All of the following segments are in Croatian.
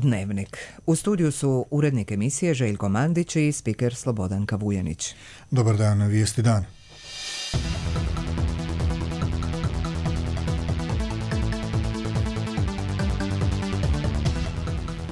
Dnevnik. U studiju su urednik emisije Željko Mandić i spiker Slobodanka Vujanić. Dobar dan, vijesti dan.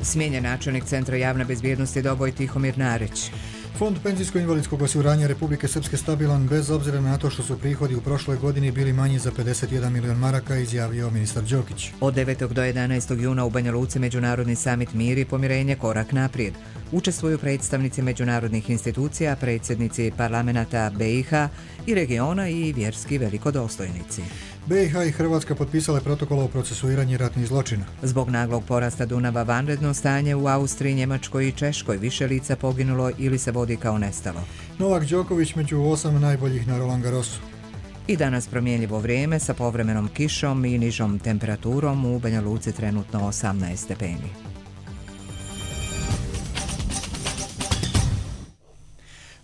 Smijenjen načelnik Centra javne bezbjednosti Doboj Tihomir Narić. Fond penzijsko-invalidskog osiguranja Republike Srpske stabilan bez obzira na to što su prihodi u prošloj godini bili manji za 51 milion maraka, izjavio ministar Đokić. Od 9. do 11. juna u Banja Luci Međunarodni samit Mir i pomirenje korak naprijed. Učestvuju predstavnici međunarodnih institucija, predsjednici parlamenata BiH i regiona i vjerski velikodostojnici. BiH i Hrvatska potpisale protokol o procesuiranju ratnih zločina. Zbog naglog porasta Dunava vanredno stanje u Austriji, Njemačkoj i Češkoj, više lica poginulo ili se vodi kao nestalo. Novak Đoković među 8 najboljih na Roland Garrosu. I danas promjenjivo vrijeme sa povremenom kišom i nižom temperaturom, u Banja Luci trenutno 18 stepeni.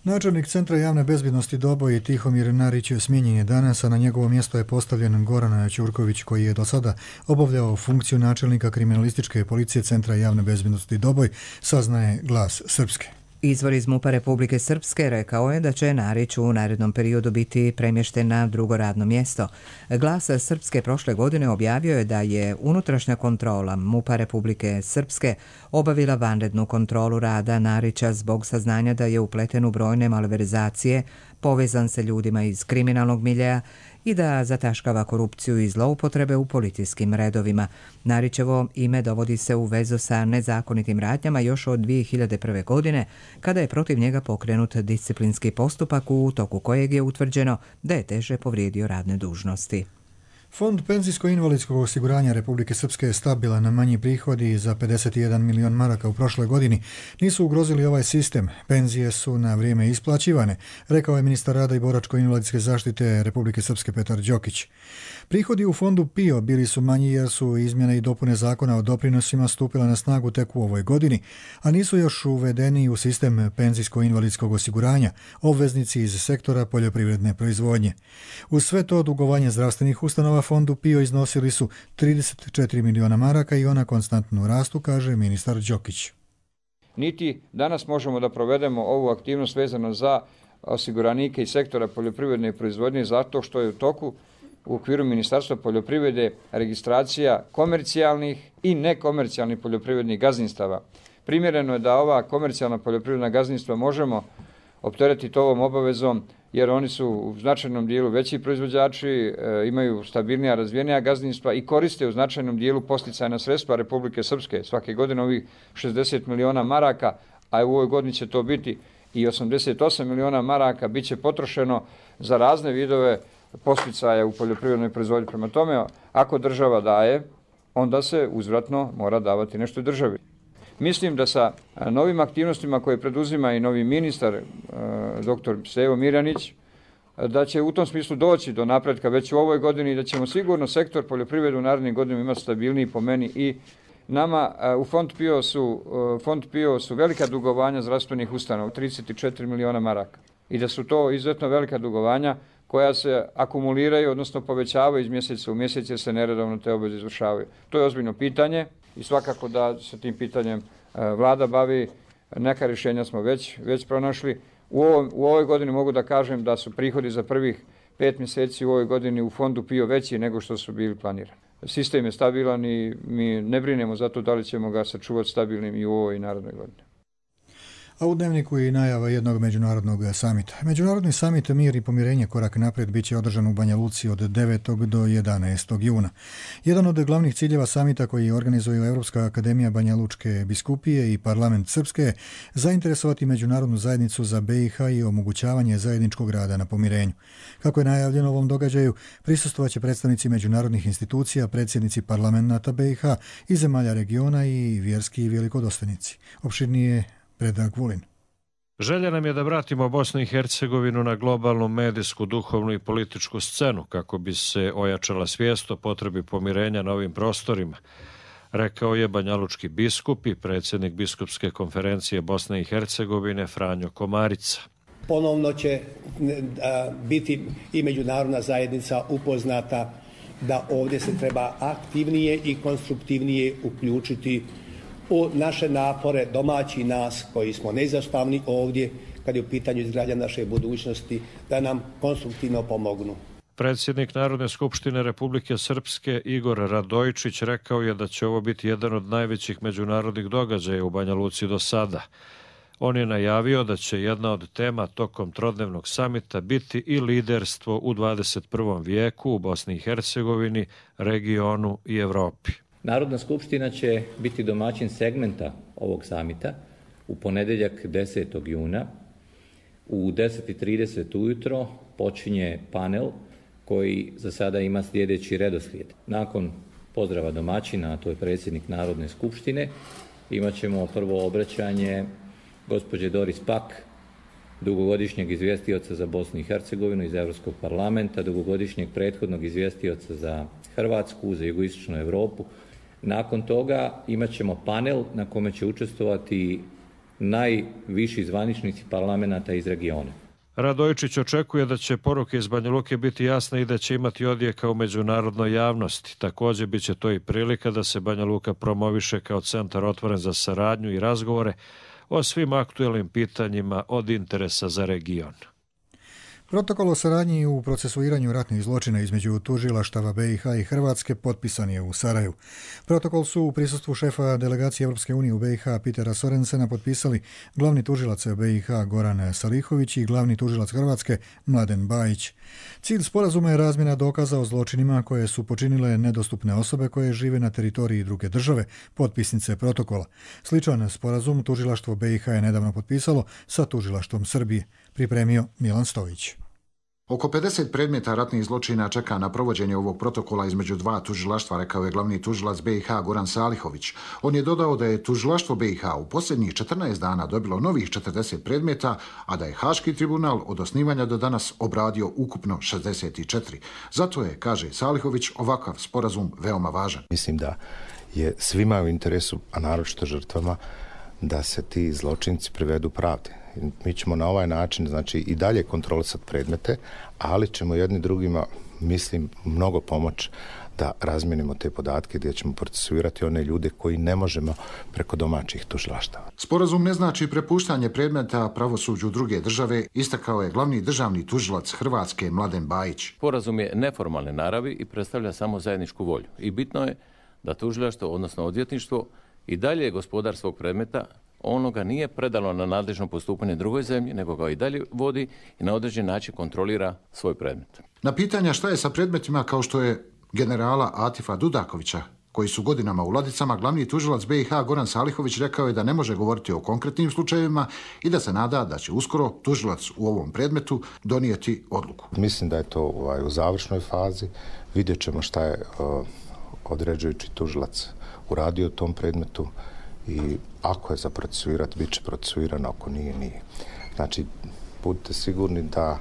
Načelnik Centra javne bezbjednosti Doboj Tihomir Narić smijenjen je danas, a na njegovo mjesto je postavljen Goran Ćurković, koji je do sada obavljao funkciju načelnika kriminalističke policije Centra javne bezbjednosti Doboj, saznaje Glas Srpske. Izvor iz MUP-a Republike Srpske rekao je da će Narić u narednom periodu biti premješten na drugo radno mjesto. Glas Srpske prošle godine objavio je da je unutrašnja kontrola MUP-a Republike Srpske obavila vanrednu kontrolu rada Narića zbog saznanja da je upleten u brojne malverzacije, povezan sa ljudima iz kriminalnog miljeja i da zataškava korupciju i zloupotrebe u policijskim redovima. Narićevo ime dovodi se u vezu sa nezakonitim radnjama još od 2001. godine, kada je protiv njega pokrenut disciplinski postupak u toku kojeg je utvrđeno da je teže povrijedio radne dužnosti. Fond penzijsko-invalidskog osiguranja Republike Srpske je stabilan, na manji prihodi za 51 milion maraka u prošloj godini nisu ugrozili ovaj sistem. Penzije su na vrijeme isplaćivane, rekao je ministar rada i boračko-invalidske zaštite Republike Srpske Petar Đokić. Prihodi u fondu PIO bili su manji jer su izmjene i dopune zakona o doprinosima stupila na snagu tek u ovoj godini, a nisu još uvedeni u sistem penzijsko-invalidskog osiguranja obveznici iz sektora poljoprivredne proizvodnje. Uz sve to, dugovanje zdravstvenih ustanova fondu PIO iznosili su 34 miliona maraka i ona konstantno rastu, kaže ministar Đokić. Niti danas možemo da provedemo ovu aktivnost vezano za osiguranike iz sektora poljoprivredne proizvodnje zato što je u toku u okviru Ministarstva poljoprivrede registracija komercijalnih i nekomercijalnih poljoprivrednih gazdinstava. Primjereno je da ova komercijalna poljoprivredna gazdinstva možemo opteretiti ovom obavezom jer oni su u značajnom dijelu veći proizvođači, imaju stabilnija, razvijenija gazdinstva i koriste u značajnom dijelu posticajna sredstva Republike Srpske. Svake godine ovih 60 miliona maraka, a u ovoj godini će to biti i 88 miliona maraka, bit će potrošeno za razne vidove posticaja u poljoprivrednoj proizvodnji. Prema tome, ako država daje, onda se uzvratno mora davati nešto državi. Mislim da sa novim aktivnostima koje preduzima i novi ministar, dr. Stevo Mirjanić, da će u tom smislu doći do napretka već u ovoj godini i da ćemo sigurno sektor poljoprivrede u narednim godinama imati stabilniji po meni i nama. U Fond PIO su velika dugovanja zdravstvenih ustanova, 34 miliona maraka. I da su to izuzetno velika dugovanja koja se akumuliraju, odnosno povećavaju iz mjeseca u mjesec jer se neredovno te obveze izvršavaju. To je ozbiljno pitanje i svakako da se tim pitanjem vlada bavi. Neka rješenja smo već pronašli. U ovoj godini mogu da kažem da su prihodi za prvih 5 mjeseci u ovoj godini u fondu PIO veći nego što su bili planirani. Sistem je stabilan i mi ne brinemo za to da li ćemo ga sačuvati stabilnim i u ovoj i narodnoj godini. A u Dnevniku je najava jednog međunarodnog samita. Međunarodni samit Mir i pomirenje korak naprijed bit će održan u Banja Luci od 9. do 11. juna. Jedan od glavnih ciljeva samita koji organizuju Europska akademija Banja Lučke biskupije i parlament Srpske zainteresovati međunarodnu zajednicu za BiH i omogućavanje zajedničkog rada na pomirenju. Kako je najavljeno ovom događaju, prisustvovaće predstavnici međunarodnih institucija, predsjednici parlamenta BiH i zemalja regiona i vjerski velikodostojnici. Opširnije Predrag Vulin. Želja nam je da vratimo Bosnu i Hercegovinu na globalnu medijsku, duhovnu i političku scenu kako bi se ojačala svijest o potrebi pomirenja na ovim prostorima, rekao je banjalučki biskup i predsjednik biskupske konferencije Bosne i Hercegovine Franjo Komarica. Ponovno će biti i međunarodna zajednica upoznata da ovdje se treba aktivnije i konstruktivnije uključiti u naše napore domaći nas koji smo neizostavni ovdje kad je u pitanju izgradnja naše budućnosti, da nam konstruktivno pomognu. Predsjednik Narodne skupštine Republike Srpske Igor Radojičić rekao je da će ovo biti jedan od najvećih međunarodnih događaja u Banja Luci do sada. On je najavio da će jedna od tema tokom trodnevnog samita biti i liderstvo u 21. vijeku u Bosni i Hercegovini, regionu i Evropi. Narodna skupština će biti domaćin segmenta ovog samita u ponedjeljak 10. juna. U 10:30 ujutro počinje panel koji za sada ima sljedeći redoslijed. Nakon pozdrava domaćina, a to je predsjednik Narodne skupštine, imat ćemo prvo obraćanje gospođe Doris Pak, dugogodišnjeg izvjestioca za Bosnu i Hercegovinu iz Europskog parlamenta, dugogodišnjeg prethodnog izvjestioca za Hrvatsku, za jugoistočnu Europu. Nakon toga imat ćemo panel na kome će učestvovati najviši zvaničnici parlamenta iz regiona. Radojičić očekuje da će poruke iz Banja Luke biti jasne i da će imati odjeka u međunarodnoj javnosti. Također bit će to i prilika da se Banja Luka promoviše kao centar otvoren za saradnju i razgovore o svim aktuelnim pitanjima od interesa za region. Protokol o saradnji u procesuiranju ratnih zločina između tužilaštava BiH i Hrvatske potpisan je u Sarajevu. Protokol su u prisustvu šefa delegacije Europske unije u BiH Petera Sorensena potpisali glavni tužilac BiH Goran Salihović i glavni tužilac Hrvatske Mladen Bajić. Cilj sporazuma je razmjena dokaza o zločinima koje su počinile nedostupne osobe koje žive na teritoriji druge države, potpisnice protokola. Sličan sporazum tužilaštvo BiH je nedavno potpisalo sa tužilaštvom Srbije. Pripremio Milan Stojić. Oko 50 predmeta ratnih zločina čeka na provođenje ovog protokola između dva tužilaštva, rekao je glavni tužilac BiH Goran Salihović. On je dodao da je tužilaštvo BiH u posljednjih 14 dana dobilo novih 40 predmeta, a da je Haški tribunal od osnivanja do danas obradio ukupno 64. Zato je, kaže Salihović, ovakav sporazum veoma važan. Mislim da je svima u interesu, a naročito žrtvama, da se ti zločinci privedu pravdi. Mi ćemo na ovaj način, znači, i dalje kontrolisati predmete, ali ćemo jedni drugima, mislim, mnogo pomoći da razmijenimo te podatke gdje ćemo procesuirati one ljude koji ne možemo preko domaćih tužilaštava. Sporazum ne znači prepuštanje predmeta pravosuđu druge države, istakao je glavni državni tužilac Hrvatske Mladen Bajić. Sporazum je neformalne naravi i predstavlja samo zajedničku volju. I bitno je da tužilaštvo, odnosno odvjetništvo, i dalje gospodar svog predmeta, ono ga nije predalo na nadležno postupanje drugoj zemlji, nego ga i dalje vodi i na određen način kontrolira svoj predmet. Na pitanja šta je sa predmetima kao što je generala Atifa Dudakovića, koji su godinama u ladicama, glavni tužilac BiH Goran Salihović rekao je da ne može govoriti o konkretnim slučajevima i da se nada da će uskoro tužilac u ovom predmetu donijeti odluku. Mislim da je to u završnoj fazi. Vidjet ćemo šta je određujući tužilac uradio u tom predmetu i ako je za procesuirati, bit će procesuirano, ako nije, nije. Znači, budite sigurni da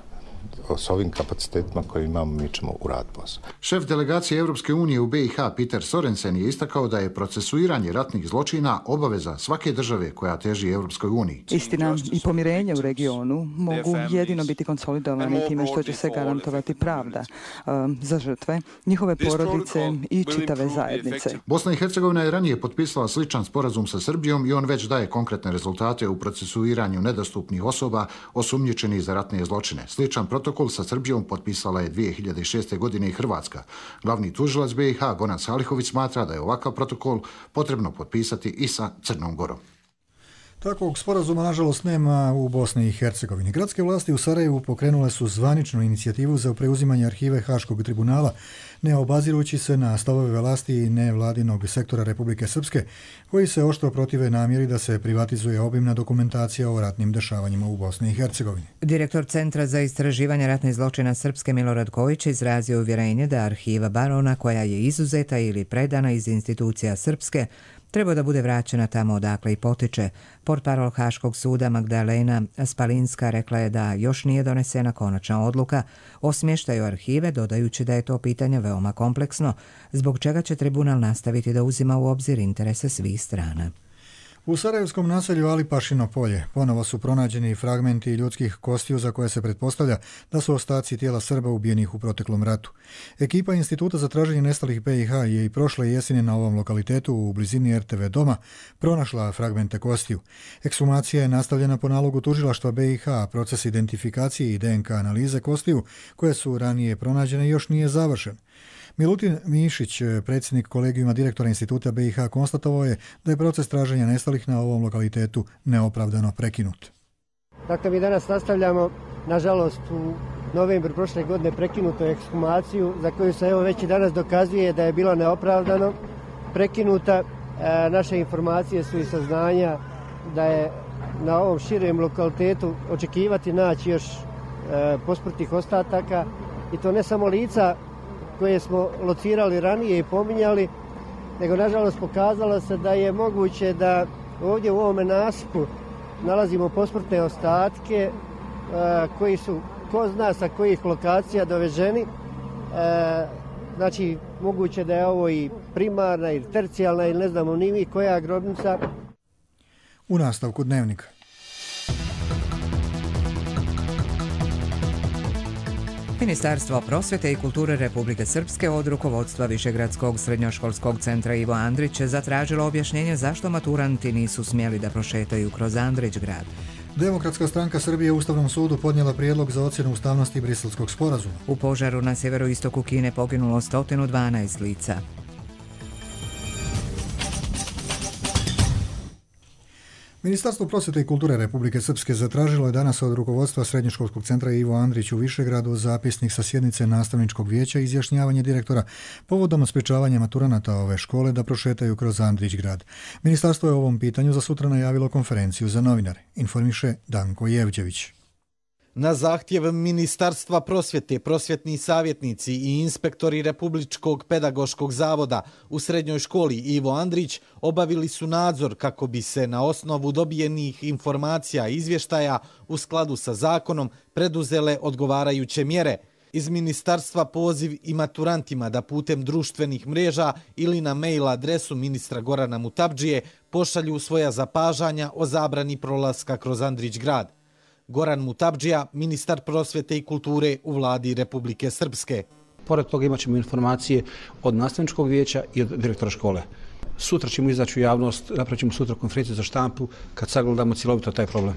s ovim kapacitetima koje imamo mi ćemo uraditi posao. Šef delegacije Europske unije u BiH Peter Sorensen je istakao da je procesuiranje ratnih zločina obaveza svake države koja teži Europskoj uniji. Istina i pomirenje u regionu mogu jedino biti konsolidovani time što će se garantovati pravda za žrtve, njihove porodice i čitave zajednice. Bosna i Hercegovina je ranije potpisala sličan sporazum sa Srbijom i on već daje konkretne rezultate u procesuiranju nedostupnih osoba osumnjičenih za ratne zločine. Sličan protokol sa Srbijom potpisala je 2006. godine i Hrvatska. Glavni tužilac BiH Goran Salihović smatra da je ovakav protokol potrebno potpisati i sa Crnom Gorom. Takvog sporazuma, nažalost, nema u Bosni i Hercegovini. Gradske vlasti u Sarajevu pokrenule su zvaničnu inicijativu za preuzimanje arhive Haškog tribunala, ne obazirujući se na stavove vlasti i nevladinog sektora Republike Srpske, koji se oštro protive namjeri da se privatizuje obimna dokumentacija o ratnim dešavanjima u Bosni i Hercegovini. Direktor Centra za istraživanje ratnih zločina Srpske Milorad Kojić izrazio uvjerenje da arhiva Barona, koja je izuzeta ili predana iz institucija Srpske, treba da bude vraćena tamo odakle i potiče. Portparol Haškog suda Magdalena Spalinska rekla je da još nije donesena konačna odluka o smještaju arhive, dodajući da je to pitanje veoma kompleksno, zbog čega će tribunal nastaviti da uzima u obzir interese svih strana. U sarajevskom naselju Alipašino polje ponovo su pronađeni fragmenti ljudskih kostiju za koje se pretpostavlja da su ostaci tijela Srba ubijenih u proteklom ratu. Ekipa Instituta za traženje nestalih BiH je i prošle jeseni na ovom lokalitetu u blizini RTV doma pronašla fragmente kostiju. Ekshumacija je nastavljena po nalogu tužilaštva BiH, a proces identifikacije i DNK analize kostiju koje su ranije pronađene još nije završen. Milutin Mišić, predsjednik kolegijuma direktora Instituta BiH, konstatovao je da je proces traženja nestalih na ovom lokalitetu neopravdano prekinut. Dakle, mi danas nastavljamo, nažalost, u novembru prošle godine prekinutu ekshumaciju, za koju se već i danas dokazuje da je bila neopravdano prekinuta. Naše informacije su i saznanja da je na ovom širem lokalitetu očekivati naći još posmrtnih ostataka, i to ne samo lica koje smo locirali ranije i pominjali, nego nažalost pokazalo se da je moguće da ovdje u ovome nasipu nalazimo posmrtne ostatke koji su ko zna sa kojih lokacija doveženi. Znači, moguće da je ovo i primarna ili tercijalna ili ne znamo ni mi koja grobnica. U nastavku Dnevnika. Ministarstvo prosvjete i kulture Republike Srpske od rukovodstva Višegradskog srednjoškolskog centra Ivo Andrić zatražilo objašnjenje zašto maturanti nisu smjeli da prošetaju kroz Andrić grad. Demokratska stranka Srbije u Ustavnom sudu podnijela prijedlog za ocjenu ustavnosti Briselskog sporazuma. U požaru na sjeveroistoku Kine poginulo 112 lica. Ministarstvo prosvjete i kulture Republike Srpske zatražilo je danas od rukovodstva Srednjoškolskog centra Ivo Andrić u Višegradu zapisnik sa sjednice nastavničkog vijeća i izjašnjavanje direktora povodom sprječavanja maturanata ove škole da prošetaju kroz Andrić grad. Ministarstvo je o ovom pitanju za sutra najavilo konferenciju za novinare, informiše Danko Jevđević. Na zahtjev Ministarstva prosvjete, prosvjetni savjetnici i inspektori Republičkog pedagoškog zavoda u srednjoj školi Ivo Andrić obavili su nadzor kako bi se na osnovu dobijenih informacija i izvještaja u skladu sa zakonom preduzele odgovarajuće mjere. Iz ministarstva poziv i maturantima da putem društvenih mreža ili na mail adresu ministra Gorana Mutapdžije pošalju svoja zapažanja o zabrani prolaska kroz Andrić grad. Goran Mutapdžija, ministar prosvjete i kulture u vladi Republike Srpske. Pored toga imat ćemo informacije od nastavničkog vijeća i od direktora škole. Sutra ćemo izaći u javnost, napravit ćemo sutra konferenciju za štampu kad sagledamo cjelovito taj problem.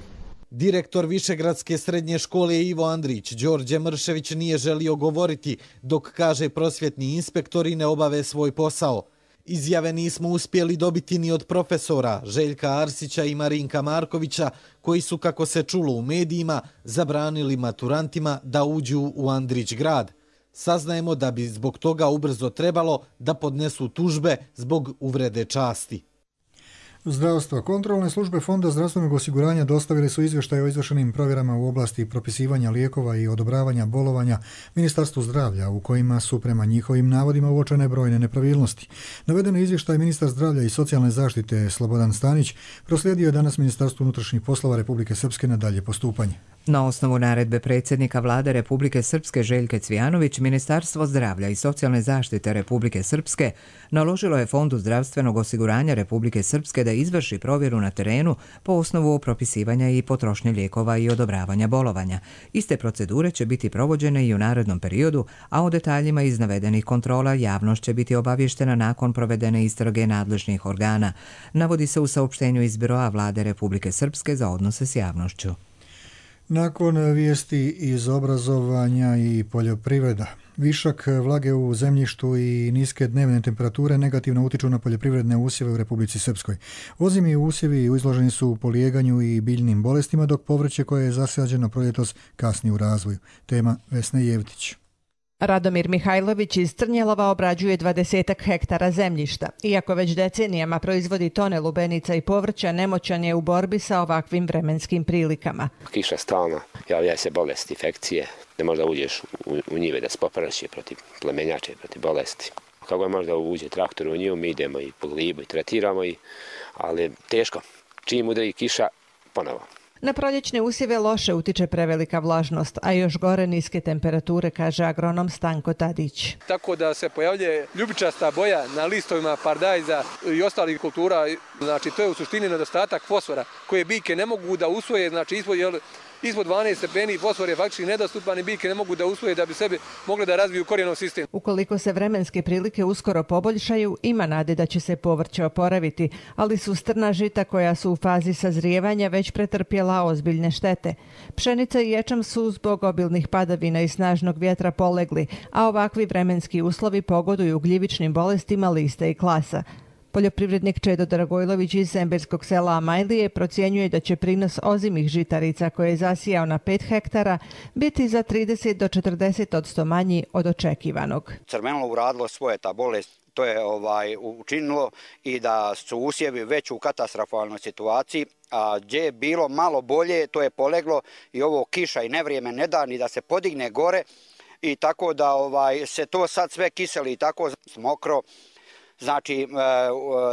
Direktor Višegradske srednje škole Ivo Andrić, Đorđe Mršević, nije želio govoriti dok, kaže, prosvjetni inspektori ne obave svoj posao. Izjave nismo uspjeli dobiti ni od profesora Željka Arsića i Marinka Markovića, koji su, kako se čulo u medijima, zabranili maturantima da uđu u Andrić grad. Saznajemo da bi zbog toga ubrzo trebalo da podnesu tužbe zbog uvrede časti. Zdravstvo. Kontrolne službe Fonda zdravstvenog osiguranja dostavili su izvještaje o izvršenim provjerama u oblasti propisivanja lijekova i odobravanja bolovanja Ministarstvu zdravlja, u kojima su prema njihovim navodima uočene brojne nepravilnosti. Navedeno izvještaj ministar zdravlja i socijalne zaštite Slobodan Stanić proslijedio je danas Ministarstvu unutrašnjih poslova Republike Srpske na dalje postupanje. Na osnovu naredbe predsjednika vlade Republike Srpske Željke Cvijanović, Ministarstvo zdravlja i socijalne zaštite Republike Srpske naložilo je Fondu zdravstvenog osiguranja Republike Srpske da izvrši provjeru na terenu po osnovu propisivanja i potrošnje lijekova i odobravanja bolovanja. Iste procedure će biti provođene i u narednom periodu, a o detaljima iz navedenih kontrola javnost će biti obavještena nakon provedene istrage nadležnih organa, navodi se u saopštenju iz Biroa vlade Republike Srpske za odnose s javnošću. Nakon vijesti iz obrazovanja i poljoprivreda, višak vlage u zemljištu i niske dnevne temperature negativno utiču na poljoprivredne usjeve u Republici Srpskoj. Ozimi usjevi izloženi su polijeganju i biljnim bolestima, dok povrće koje je zasađeno proljetos kasni u razvoju. Tema Vesne Jevtić. Radomir Mihajlović iz Trnjelova obrađuje 20 hektara zemljišta. Iako već decenijama proizvodi tone lubenica i povrća, nemoćan je u borbi sa ovakvim vremenskim prilikama. Kiša stalna, javljaju se bolesti, infekcije, ne možda uđeš u njive da se popraši protiv plemenjače, protiv bolesti. Kako je možda uđe traktor u nju, mi idemo i po glibu i tretiramo, ali teško. Čim udari kiša, ponovo. Na proljećne usjeve loše utiče prevelika vlažnost, a još gore niske temperature, kaže agronom Stanko Tadić. Tako da se pojavljuje ljubičasta boja na listovima paradajza i ostalih kultura. Znači, to je u suštini nedostatak fosfora koje biljke ne mogu da usvoje, znači ispod 12 stepeni fosfor je faktički nedostupan i biljke ne mogu da usvoje da bi sebi mogle da razviju korijenov sistem. Ukoliko se vremenske prilike uskoro poboljšaju, ima nade da će se povrće oporaviti, ali su strna žita koja su u fazi sazrijevanja već pretrpjela ozbiljne štete. Pšenica i ječam su zbog obilnih padavina i snažnog vjetra polegli, a ovakvi vremenski uslovi pogoduju gljivičnim bolestima lista i klasa. Poljoprivrednik Čedo Dragojlović iz zemberskog sela Amajlije procjenjuje da će prinos ozimih žitarica koje je zasijao na 5 hektara biti za 30 do 40% manji od očekivanog. Crvenilo uradilo svoje, ta bolest to je učinilo i da su usjevi već u katastrofalnoj situaciji, a gdje je bilo malo bolje to je poleglo i ovo kiša i nevrijeme ne da ni da se podigne gore i tako da se to sad sve kiseli i tako mokro. Znači,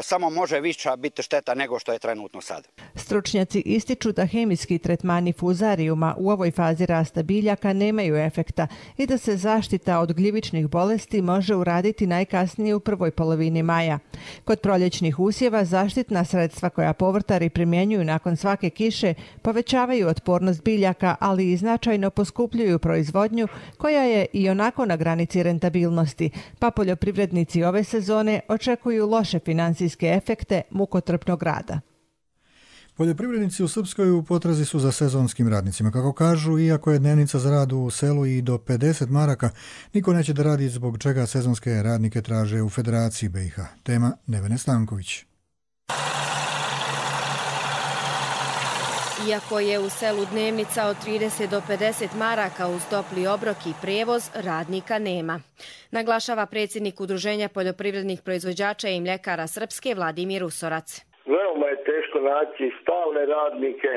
samo može viša biti šteta nego što je trenutno sad. Stručnjaci ističu da hemijski tretmani fuzarijuma u ovoj fazi rasta biljaka nemaju efekta i da se zaštita od gljivičnih bolesti može uraditi najkasnije u prvoj polovini maja. Kod proljećnih usjeva zaštitna sredstva koja povrtari primjenjuju nakon svake kiše povećavaju otpornost biljaka, ali i značajno poskupljuju proizvodnju koja je i onako na granici rentabilnosti, pa poljoprivrednici ove sezone očekuju loše finansijske efekte mukotrpnog rada. Poljoprivrednici u Srpskoj u potrazi su za sezonskim radnicima. Kako kažu, iako je dnevnica za rad u selu i do 50 maraka, niko neće da radi zbog čega sezonske radnike traže u Federaciji BiH. Tema Nevene Stanković. Iako je u selu dnevnica od 30 do 50 maraka uz topli obrok i prijevoz, radnika nema. Naglašava predsjednik Udruženja poljoprivrednih proizvođača i mljekara Srpske Vladimir Usorac. Veoma je teško naći stalne radnike,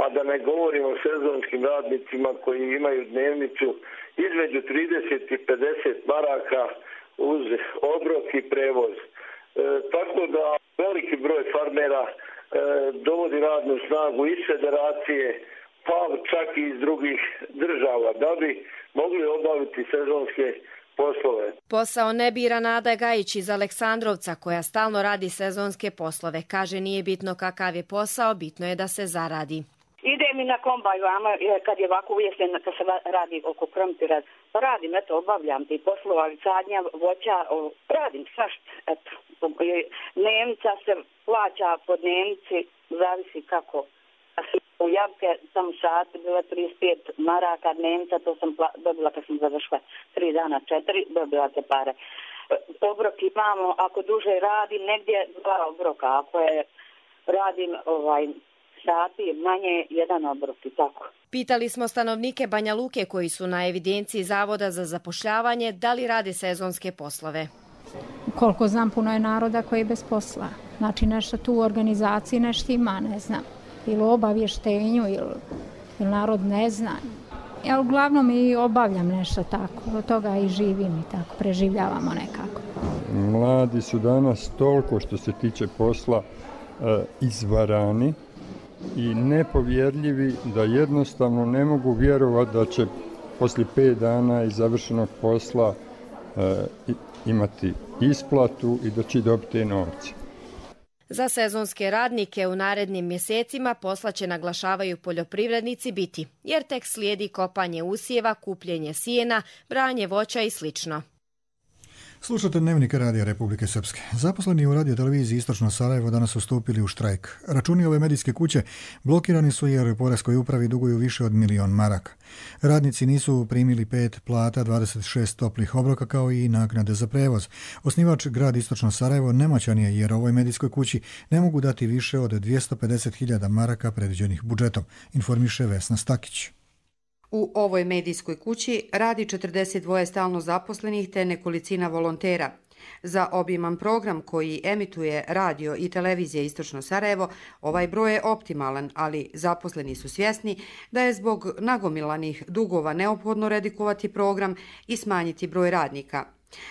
a da ne govorimo o sezonskim radnicima koji imaju dnevnicu između 30 i 50 maraka uz obrok i prevoz. Tako da veliki broj farmera dovodi radnu snagu iz federacije, pa čak i iz drugih država, da bi mogli obaviti sezonske poslove. Posao ne bira Nada Gajić iz Aleksandrovca, koja stalno radi sezonske poslove. Kaže, nije bitno kakav je posao, bitno je da se zaradi. Ide mi na kombaj vama, kad je ovako ujesen, kad se radi oko krompira. Radim, eto, obavljam ti poslova, sadnja, voća, radim svašta, eto. Dnevnica se plaća po dnevnici, zavisi kako. U Javke sam sat bila 35 maraka dnevnica, to sam dobila kad sam završila 3 dana, 4, dobila te pare. Obrok imamo, ako duže radim, negdje 2 obroka, ako je radim sati manje, 1 obrok i tako. Pitali smo stanovnike Banja Luke koji su na evidenciji Zavoda za zapošljavanje da li rade sezonske poslove. Koliko znam, puno je naroda koji je bez posla. Znači nešto tu u organizaciji nešto ima, ne znam. Ili u obavještenju, ili narod ne zna. Ja uglavnom i obavljam nešto tako. Od toga i živim i tako, preživljavamo nekako. Mladi su danas toliko što se tiče posla izvarani i nepovjerljivi da jednostavno ne mogu vjerovati da će poslije 5 dana iz završenog posla imati isplatu i da će dobiti novce. Za sezonske radnike u narednim mjesecima posla će, naglašavaju poljoprivrednici, biti, jer tek slijedi kopanje usjeva, kupljenje sjena, branje voća i slično. Slušate Dnevnik Radija Republike Srpske. Zaposleni u radioteleviziji Istočno Sarajevo danas su stupili u štrajk. Računi ove medijske kuće blokirani su jer Poreskoj upravi duguju više od 1 milion maraka. Radnici nisu primili 5 plata, 26 toplih obroka kao i naknade za prevoz. Osnivač grad Istočno Sarajevo nemoćan je jer ovoj medijskoj kući ne mogu dati više od 250.000 maraka predviđenih budžetom, informiše Vesna Stakić. U ovoj medijskoj kući radi 42 stalno zaposlenih te nekolicina volontera. Za obiman program koji emituje radio i televizija Istočno Sarajevo, ovaj broj je optimalan, ali zaposleni su svjesni da je zbog nagomilanih dugova neophodno redikovati program i smanjiti broj radnika.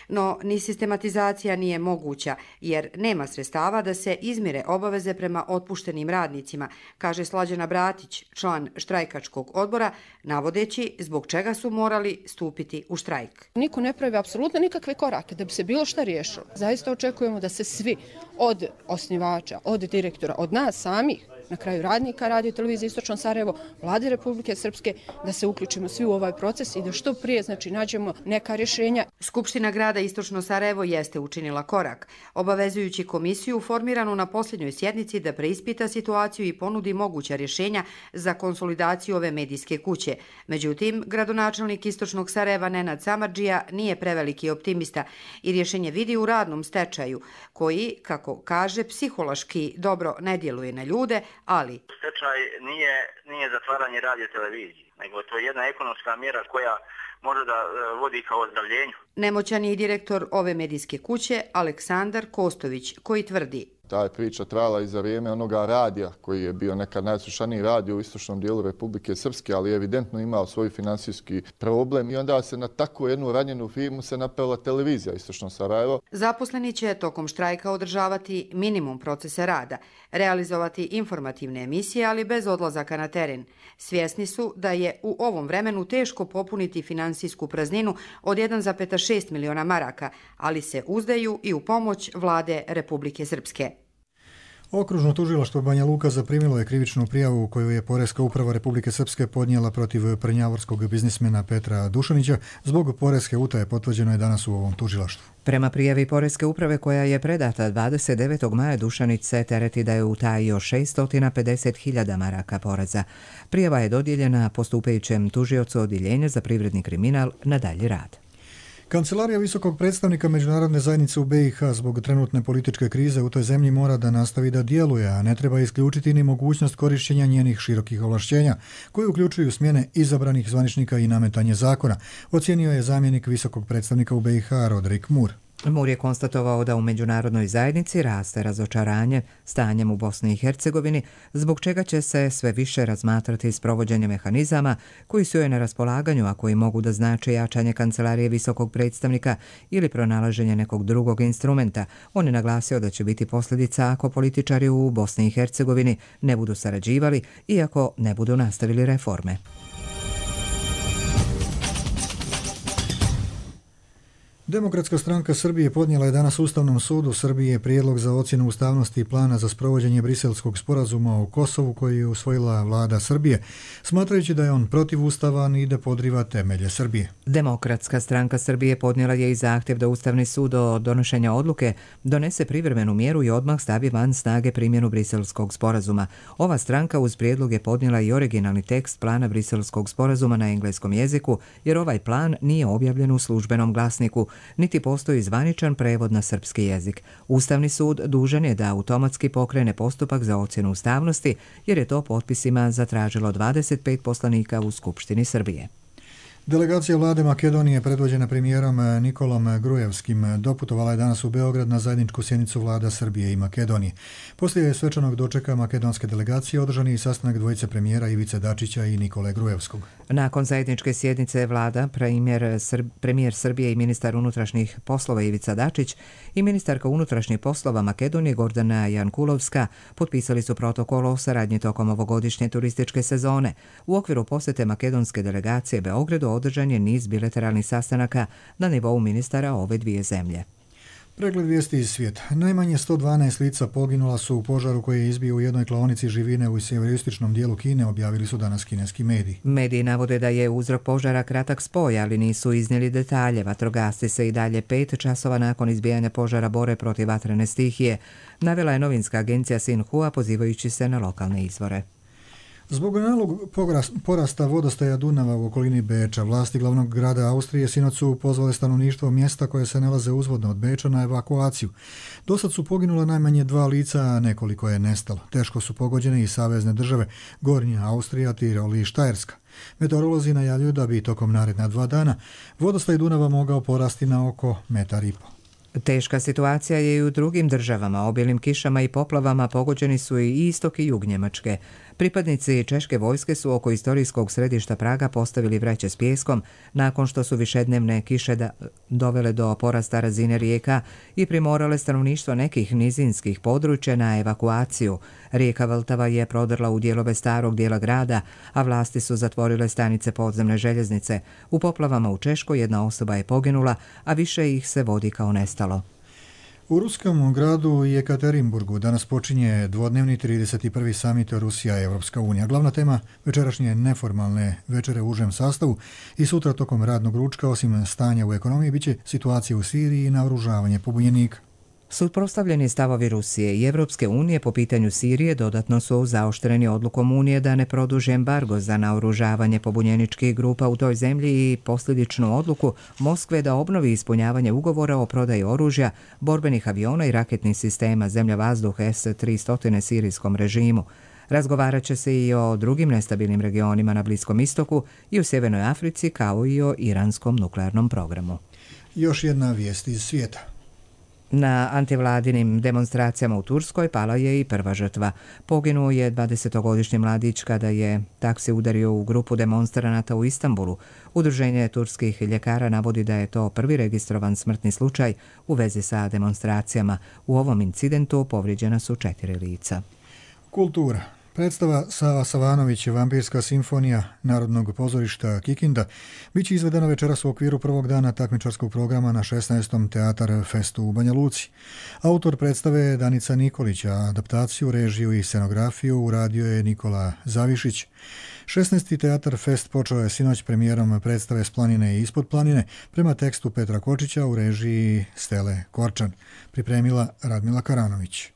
No, ni sistematizacija nije moguća, jer nema sredstava da se izmire obaveze prema otpuštenim radnicima, kaže Slađana Bratić, član štrajkačkog odbora, navodeći zbog čega su morali stupiti u štrajk. Niko ne pravi apsolutno nikakve korake da bi se bilo šta riješilo. Zaista očekujemo da se svi, od osnivača, od direktora, od nas samih, na kraju radnika Radio televizije Istočno Sarajevo, Vlade Republike Srpske, da se uključimo svi u ovaj proces i da što prije nađemo neka rješenja. Skupština grada Istočno Sarajevo jeste učinila korak, obavezujući komisiju formiranu na posljednjoj sjednici da preispita situaciju i ponudi moguća rješenja za konsolidaciju ove medijske kuće. Međutim, gradonačelnik Istočnog Sarajeva Nenad Samardžija nije preveliki optimista i rješenje vidi u radnom stečaju, koji, kako kaže, psihološki dobro ne djeluje na ljude, ali stečaj nije zatvaranje radio televizije, nego to je jedna ekonomska mjera koja može da vodi kao ozdravljenju. Nemoćan je i direktor ove medijske kuće Aleksandar Kostović, koji tvrdi: Ta je priča trajala i za vrijeme onoga radija koji je bio nekad najslušaniji radio u istočnom dijelu Republike Srpske, ali je evidentno imao svoj finansijski problem i onda se na takvu jednu ranjenu firmu se napela televizija Istočno Sarajevo. Zaposleni će tokom štrajka održavati minimum procesa rada, realizovati informativne emisije, ali bez odlazaka na teren. Svjesni su da je u ovom vremenu teško popuniti finansijsku prazninu od 1,6 miliona maraka, ali se uzdaju i u pomoć Vlade Republike Srpske. Okružno tužilaštvo Banja Luka zaprimilo je krivičnu prijavu koju je Poreska uprava Republike Srpske podnijela protiv prnjavorskog biznismena Petra Dušanića. Zbog poreske utaje potvrđeno je danas u ovom tužilaštvu. Prema prijavi Poreske uprave koja je predata 29. maja, Dušanić se tereti da je utajio 650.000 maraka poreza. Prijava je dodijeljena postupajućem tužiocu Odjeljenja za privredni kriminal na dalji rad. Kancelarija visokog predstavnika međunarodne zajednice u BiH zbog trenutne političke krize u toj zemlji mora da nastavi da djeluje, a ne treba isključiti ni mogućnost korišćenja njenih širokih ovlašćenja, koji uključuju smjene izabranih zvaničnika i nametanje zakona, ocijenio je zamjenik visokog predstavnika u BiH Rodrik Mur. Mur je konstatovao da u međunarodnoj zajednici raste razočaranje stanjem u Bosni i Hercegovini, zbog čega će se sve više razmatrati sprovođenje mehanizama koji su joj na raspolaganju, a koji mogu da znače jačanje kancelarije visokog predstavnika ili pronalaženje nekog drugog instrumenta. On je naglasio da će biti posljedica ako političari u Bosni i Hercegovini ne budu sarađivali i ako ne budu nastavili reforme. Demokratska stranka Srbije podnijela je danas Ustavnom sudu Srbije prijedlog za ocjenu ustavnosti plana za sprovođenje Briselskog sporazuma o Kosovu koji je usvojila vlada Srbije, smatrajući da je on protivustavan i da podriva temelje Srbije. Demokratska stranka Srbije podnijela je i zahtjev da Ustavni sud do donošenja odluke donese privremenu mjeru i odmah stavi van snage primjenu Briselskog sporazuma. Ova stranka uz prijedlog je podnijela i originalni tekst plana Briselskog sporazuma na engleskom jeziku, jer ovaj plan nije objavljen u službenom glasniku, niti postoji zvaničan prevod na srpski jezik. Ustavni sud dužan je da automatski pokrene postupak za ocjenu ustavnosti, jer je to potpisima zatražilo 25 poslanika u Skupštini Srbije. Delegacija vlade Makedonije predvođena premijerom Nikolom Grujevskim doputovala je danas u Beograd na zajedničku sjednicu vlada Srbije i Makedonije. Poslije svečanog dočeka makedonske delegacije održan je i sastanak dvojice premijera Ivice Dačića i Nikole Grujevskog. Nakon zajedničke sjednice vlada, premijer Srbije i ministar unutrašnjih poslova Ivica Dačić i ministarka unutrašnjih poslova Makedonije Gordana Jankulovska potpisali su protokol o saradnji tokom ovogodišnje turističke sezone. U okviru posjete makedonske delegacije Beogradu održan je niz bilateralnih sastanaka na nivou ministara ove dvije zemlje. Pregled vijesti iz svijeta. Najmanje 112 lica poginula su u požaru koji je izbio u jednoj klaonici živine u sjeveroistočnom dijelu Kine, objavili su danas kineski mediji. Mediji navode da je uzrok požara kratak spoj, ali nisu iznijeli detalje. Vatrogasci se i dalje 5 časova nakon izbijanja požara bore protiv vatrene stihije, navela je novinska agencija Xinhua pozivajući se na lokalne izvore. Zbog nalog porasta vodostaja Dunava u okolini Beča, vlasti glavnog grada Austrije sinoć su pozvale stanovništvo mjesta koje se nalaze uzvodno od Beča na evakuaciju. Dosad su poginula najmanje 2 lica, a nekoliko je nestalo. Teško su pogođene i savezne države Gornja Austrija, Tirol i Štajerska. Meteorolozi najavljuju da bi tokom naredna 2 dana vodostaj Dunava mogao porasti na oko 1,5 metra. Teška situacija je i u drugim državama. Obilnim kišama i poplavama pogođeni su i istok i jug Njemačke. Pripadnici češke vojske su oko istorijskog središta Praga postavili vreće s pijeskom nakon što su višednevne kiše dovele do porasta razine rijeka i primorale stanovništvo nekih nizinskih područja na evakuaciju. Rijeka Vltava je prodrla u dijelove starog dijela grada, a vlasti su zatvorile stanice podzemne željeznice. U poplavama u Češkoj jedna osoba je poginula, a više ih se vodi kao nestalo. U ruskom gradu Jekaterinburgu danas počinje dvodnevni 31. samit Rusija i Evropska unija. Glavna tema večerašnje neformalne večere u užem sastavu i sutra tokom radnog ručka, osim stanja u ekonomiji, biće situacija u Siriji i naoružavanje pobunjenika. Suprotstavljeni stavovi Rusije i Evropske unije po pitanju Sirije dodatno su zaoštreni odlukom Unije da ne produži embargo za naoružavanje pobunjeničkih grupa u toj zemlji i posljedičnu odluku Moskve da obnovi ispunjavanje ugovora o prodaji oružja, borbenih aviona i raketnih sistema zemlja-vazduh S-300 sirijskom režimu. Razgovarat će se i o drugim nestabilnim regionima na Bliskom istoku i u Sjevernoj Africi, kao i o iranskom nuklearnom programu. Još jedna vijest iz svijeta. Na antivladinim demonstracijama u Turskoj pala je i prva žrtva. Poginuo je 20-godišnji mladić kada je taksi udario u grupu demonstranata u Istanbulu. Udruženje turskih ljekara navodi da je to prvi registrovan smrtni slučaj u vezi sa demonstracijama. U ovom incidentu povrijeđena su 4 lica. Kultura. Predstava Sava Savanović, Vampirska simfonija Narodnog pozorišta Kikinda, bit će izvedena večeras u okviru prvog dana takmičarskog programa na 16. Teatar Festu u Banja Luci. Autor predstave je Danica Nikolić, a adaptaciju, režiju i scenografiju uradio je Nikola Zavišić. 16. Teatar Fest počeo je sinoć premijerom predstave S planine i ispod planine prema tekstu Petra Kočića u režiji Stele Korčan. Pripremila Radmila Karanović.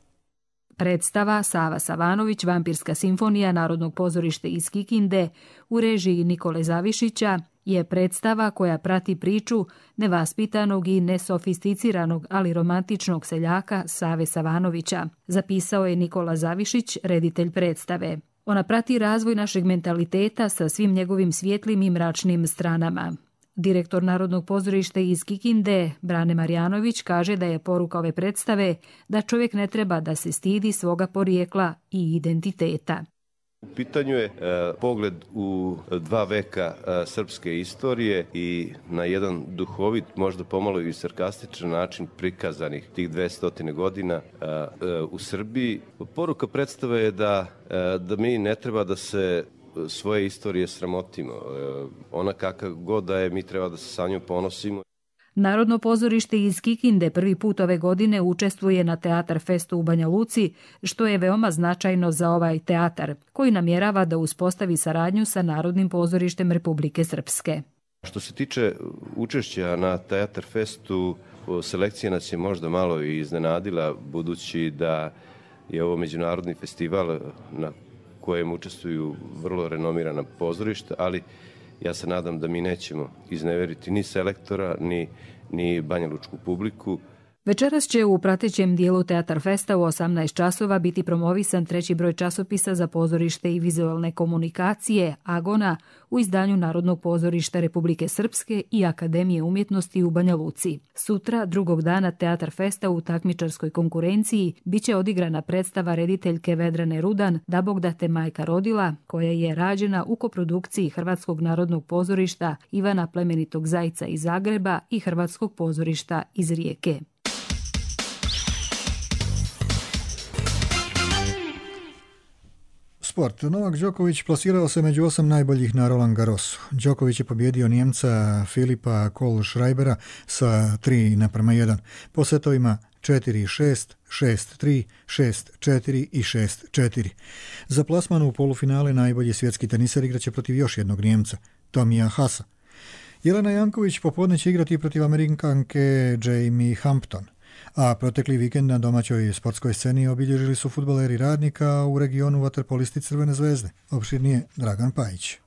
Predstava Sava Savanović, Vampirska simfonija Narodnog pozorišta iz Kikinde u režiji Nikole Zavišića je predstava koja prati priču nevaspitanog i nesofisticiranog, ali romantičnog seljaka Save Savanovića, zapisao je Nikola Zavišić, reditelj predstave. Ona prati razvoj našeg mentaliteta sa svim njegovim svijetlim i mračnim stranama. Direktor Narodnog pozorišta iz Kikinde, Brane Marjanović, kaže da je poruka ove predstave da čovjek ne treba da se stidi svoga porijekla i identiteta. U pitanju je pogled u 2 veka srpske istorije i na jedan duhovit, možda pomalo i sarkastičan način prikazanih tih 200 godina u Srbiji. Poruka predstave je da mi ne treba da se svoje istorije sramotimo. Ona kakav god da je, mi treba da se sa njom ponosimo. Narodno pozorište iz Kikinde prvi put ove godine učestvuje na Teatar Festu u Banja Luci, što je veoma značajno za ovaj teatar, koji namjerava da uspostavi saradnju sa Narodnim pozorištem Republike Srpske. Što se tiče učešća na Teatar Festu, selekcija nas je možda malo i iznenadila, budući da je ovo međunarodni festival na kojem učestvuju vrlo renomirana pozorišta, ali ja se nadam da mi nećemo izneveriti ni selektora, ni banjalučku publiku. Večeras će u pratećem dijelu Teatar Festa u 18 časova biti promovisan 3. broj časopisa za pozorište i vizualne komunikacije Agona u izdanju Narodnog pozorišta Republike Srpske i Akademije umjetnosti u Banja Luci. Sutra, drugog dana Teatar Festa u takmičarskoj konkurenciji, biće odigrana predstava rediteljke Vedrane Rudan Da Bog da te majka rodila, koja je rađena u koprodukciji Hrvatskog narodnog pozorišta Ivana Plemenitog Zajca iz Zagreba i Hrvatskog pozorišta iz Rijeke. Sport. Novak Đoković plasirao se među 8 najboljih na Roland Garrosu. Đoković je pobjedio Njemca Filipa Kohlschreibera sa 3:1 po setovima 4-6, 6-3, 6-4 i 6-4. Za plasman u polufinale najbolji svjetski teniser igraće protiv još jednog Njemca, Tomija Hasa. Jelena Janković popodne će igrati protiv Amerikanke Jamie Hampton. A protekli vikend na domaćoj sportskoj sceni obilježili su fudbaleri Radnika, u regionu vaterpolisti Crvene zvezde. Opširnije Dragan Pajić.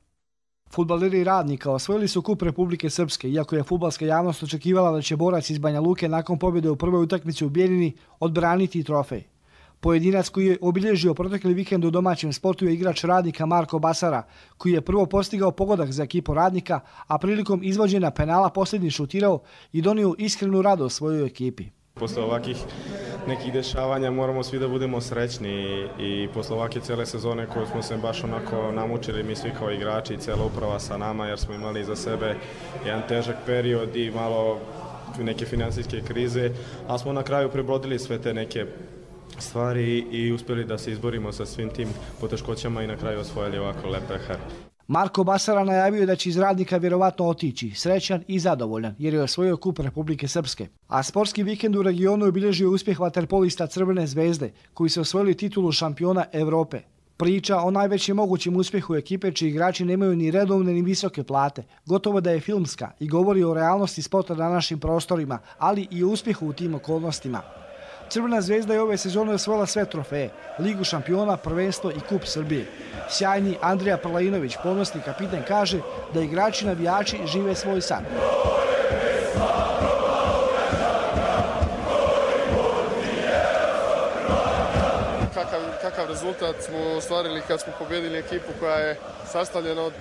Fudbaleri Radnika osvojili su kup Republike Srpske, iako je fudbalska javnost očekivala da će borac iz Banja Luke nakon pobjede u prvoj utakmici u Bijeljini odbraniti trofej. Pojedinac koji je obilježio protekli vikend u domaćem sportu je igrač Radnika Marko Basara, koji je prvo postigao pogodak za ekipu Radnika, a prilikom izvođenja penala posljednji šutirao i donio iskrenu radost svojoj ekipi. Posle ovakih nekih dešavanja moramo svi da budemo srećni i posle ovake cijele sezone koju smo se baš onako namučili mi svi kao igrači i cijela uprava sa nama jer smo imali za sebe jedan težak period i malo neke finansijske krize, ali smo na kraju prebrodili sve te neke stvari i uspjeli da se izborimo sa svim tim poteškoćama i na kraju osvojili ovako lep pehar. Marko Basara najavio je da će iz Radnika vjerovatno otići, srećan i zadovoljan, jer je osvojio kup Republike Srpske. A sportski vikend u regionu je obilježio uspjeh vaterpolista Crvene zvezde, koji su osvojili titulu šampiona Evrope. Priča o najvećem mogućem uspjehu ekipe čiji igrači nemaju ni redovne ni visoke plate, gotovo da je filmska i govori o realnosti sporta na našim prostorima, ali i o uspjehu u tim okolnostima. Crvena zvezda je ove sezone osvojila sve trofeje, Ligu šampiona, prvenstvo i kup Srbije. Sjajni Andrija Prlajinović, ponosni kapiten, kaže da igrači navijači žive svoj san. Kakav rezultat smo ostvarili kad smo pobjedili ekipu koja je sastavljena od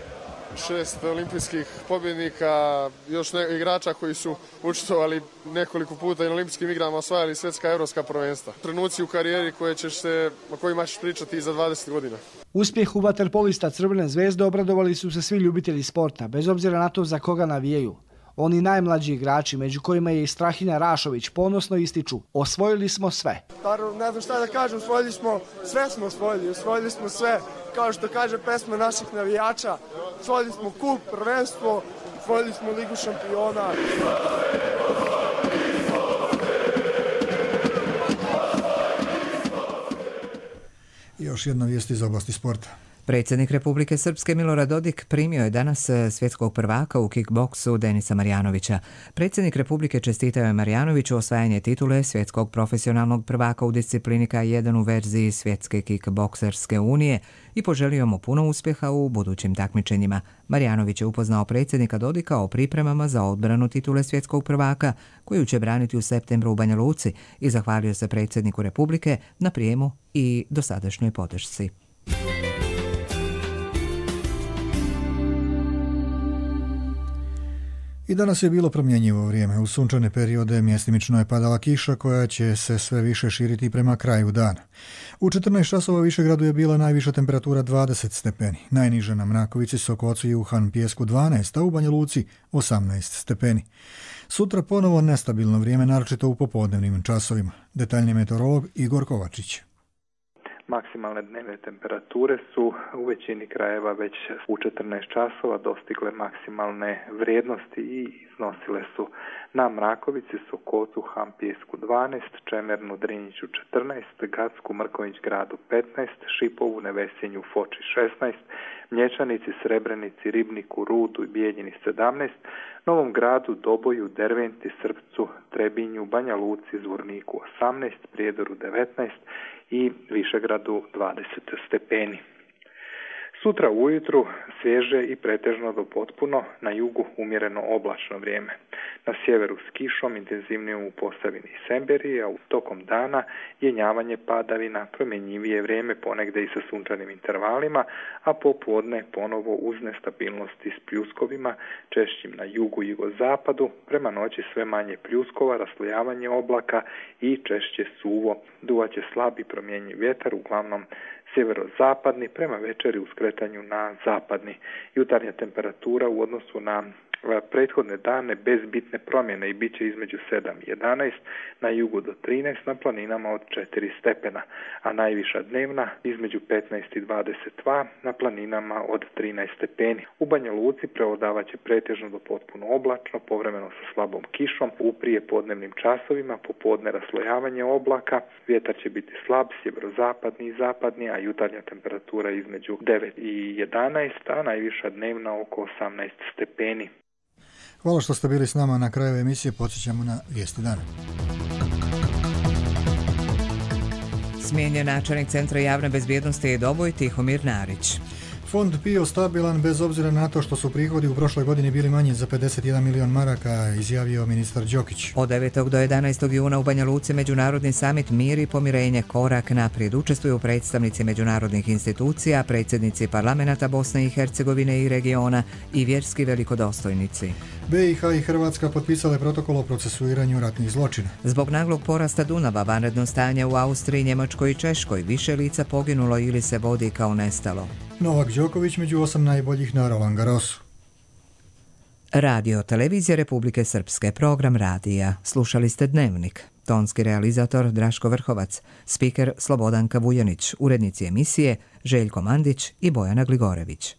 6 olimpijskih pobjednika, još igrača koji su učestvovali nekoliko puta i na olimpijskim igrama, osvajali svjetska i evropska prvenstva. Trenuci u karijeri o kojima ćeš pričati i za 20 godina. Uspjehu vaterpolista Crvene zvezde obradovali su se svi ljubitelji sporta, bez obzira na to za koga navijaju. Oni najmlađi igrači, među kojima je i Strahinja Rašović, ponosno ističu: osvojili smo sve. Ne znam šta da kažem, osvojili smo sve, kao što kaže pesma naših navijača. Osvojili smo kup, prvenstvo, osvojili smo Ligu šampiona. I još jedna vijest iz oblasti sporta. Predsjednik Republike Srpske Milorad Dodik primio je danas svjetskog prvaka u kickboksu Denisa Marjanovića. Predsjednik Republike čestitao je Marjanoviću osvajanje titule svjetskog profesionalnog prvaka u disciplini K1 u verziji Svjetske kickbokserske unije i poželio mu puno uspjeha u budućim takmičenjima. Marjanović je upoznao predsjednika Dodika o pripremama za odbranu titule svjetskog prvaka koju će braniti u septembru u Banja Luci i zahvalio se predsjedniku Republike na prijemu i dosadašnjoj podršci. I danas je bilo promjenjivo vrijeme. U sunčane periode mjestimično je padala kiša koja će se sve više širiti prema kraju dana. U 14 časova u Višegradu je bila najviša temperatura 20 stepeni. Najniža na Mrakovici, Sokocu i Uhan Pijesku 12, a u Banja Luci 18 stepeni. Sutra ponovo nestabilno vrijeme, naročito u popodnevnim časovima. Detaljni meteorolog Igor Kovačić. Maksimalne dnevne temperature su u većini krajeva već u 14 časova dostigle maksimalne vrijednosti i iznosile su na Mrakovici, Sokocu, Hampijesku 12, Čemernu, Drinjiću 14, Gacku, Mrkonjić gradu 15, Šipovu, Nevesinju, Foči 16, Mlječanici, Srebrenici, Ribniku, Rudu i Bijeljini 17, Novom gradu, Doboju, Derventi, Srpcu, Trebinju, Banja Luci, Zvorniku 18, Prijedoru 19 i Višegradu 20 stepeni. Sutra ujutru svježe i pretežno do potpuno, na jugu umjereno oblačno vrijeme. Na sjeveru s kišom, intenzivnijom u Posavini i Semberiji, a tokom dana jenjavanje padavina, promjenjivije vrijeme ponegde i sa sunčanim intervalima, a popodne ponovo uz nestabilnosti s pljuskovima, češćim na jugu i jugozapadu, prema noći sve manje pljuskova, raslojavanje oblaka i češće suvo. Duvaće slabi promjenjiv vjetar, uglavnom sjeverozapadni, prema večeri u skretanju na zapadni. Jutarnja temperatura u odnosu na prethodne dane bez bitne promjene i bit će između 7 i 11, na jugu do 13, na planinama od 4 stepena, a najviša dnevna između 15 i 22, na planinama od 13 stepeni. U Banja Luci prevladavaće pretežno do potpuno oblačno, povremeno sa slabom kišom, u prijepodnevnim časovima, popodne raslojavanje oblaka, vjetar će biti slab, sjeverozapadni i zapadni, a jutarnja temperatura između 9 i 11, a najviša dnevna oko 18 stepeni. Hvala što ste bili s nama. Na kraju emisije podsjećamo na vijesti dana. Smijenjen načelnik Centra javne bezbjednosti Doboj Tihomir Narić. Fond PIO stabilan bez obzira na to što su prihodi u prošloj godini bili manji za 51 milion maraka, izjavio ministar Đokić. Od 9. do 11. juna u Banja Luci Međunarodni samit Mir i pomirenje korak naprijed. Učestvuju predstavnici međunarodnih institucija, predsjednici parlamenta Bosne i Hercegovine i regiona i vjerski velikodostojnici. BiH i Hrvatska potpisale protokol o procesuiranju ratnih zločina. Zbog naglog porasta Dunava, vanredno stanje u Austriji, Njemačkoj i Češkoj, više lica poginulo ili se vodi kao nestalo. Novak Đoković među 8 najboljih na Roland Garrosu. Radio Televizija Republike Srpske, program radija. Slušali ste Dnevnik. Tonski realizator Draško Vrhovac, spiker Slobodanka Vujanić, urednici emisije Željko Mandić i Bojana Gligorević.